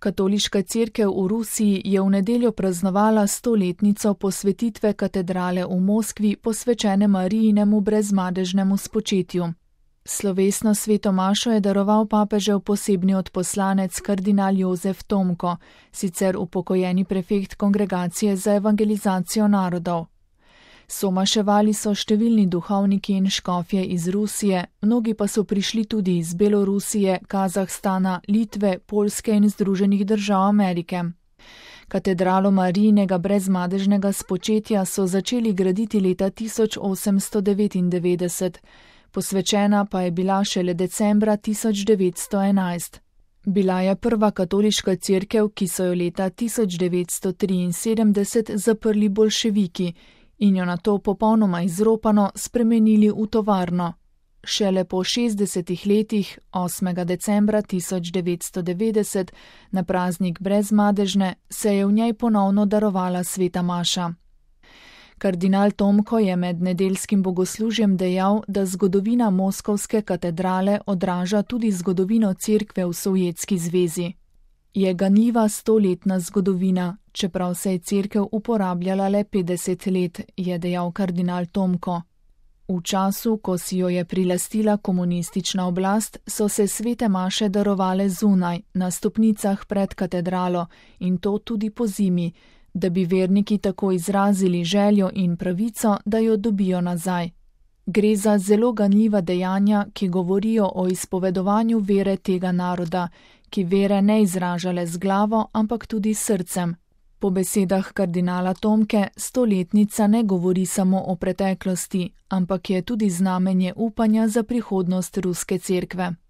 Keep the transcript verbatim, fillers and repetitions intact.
Katoliška cerkev v Rusiji je v nedeljo praznovala stoletnico posvetitve katedrale v Moskvi posvečene Marijinemu brezmadežnemu spočetju. Slovesno sveto mašo je daroval papežev posebni odposlanec kardinal Jozef Tomko, sicer upokojeni prefekt Kongregacije za evangelizacijo narodov. Somaševali so številni duhovniki in škofje iz Rusije, mnogi pa so prišli tudi iz Belorusije, Kazahstana, Litve, Poljske in Združenih držav Amerike. Katedralo Marijinega brezmadežnega spočetja so začeli graditi leta tisoč osemsto devetindevetdeset, posvečena pa je bila šele decembra tisoč devetsto enajst. Bila je prva katoliška cerkev, ki so jo leta tisoč devetsto triinsedemdeset zaprli boljševiki in jo nato popolnoma izropano spremenili v tovarno. Šele po šestdesetih letih, osmega decembra tisoč devetsto devetdeset, na praznik brezmadežne, se je v njej ponovno darovala sveta maša. Kardinal Tomko je med nedeljskim bogoslužjem dejal, da zgodovina Moskovske katedrale odraža tudi zgodovino cerkve v Sovjetski zvezi. Je ganljiva stoletna zgodovina, čeprav se je cerkev uporabljala le petdeset let, je dejal kardinal Tomko. V času, ko si jo je prilastila komunistična oblast, so se svete maše darovale zunaj, na stopnicah pred katedralo, in to tudi po zimi, da bi verniki tako izrazili željo in pravico, da jo dobijo nazaj. Gre za zelo ganljiva dejanja, ki govorijo o izpovedovanju vere tega naroda, ki vere ne izraža le z glavo, ampak tudi s srcem. Po besedah kardinala Tomke, stoletnica ne govori samo o preteklosti, ampak je tudi znamenje upanja za prihodnost ruske cerkve.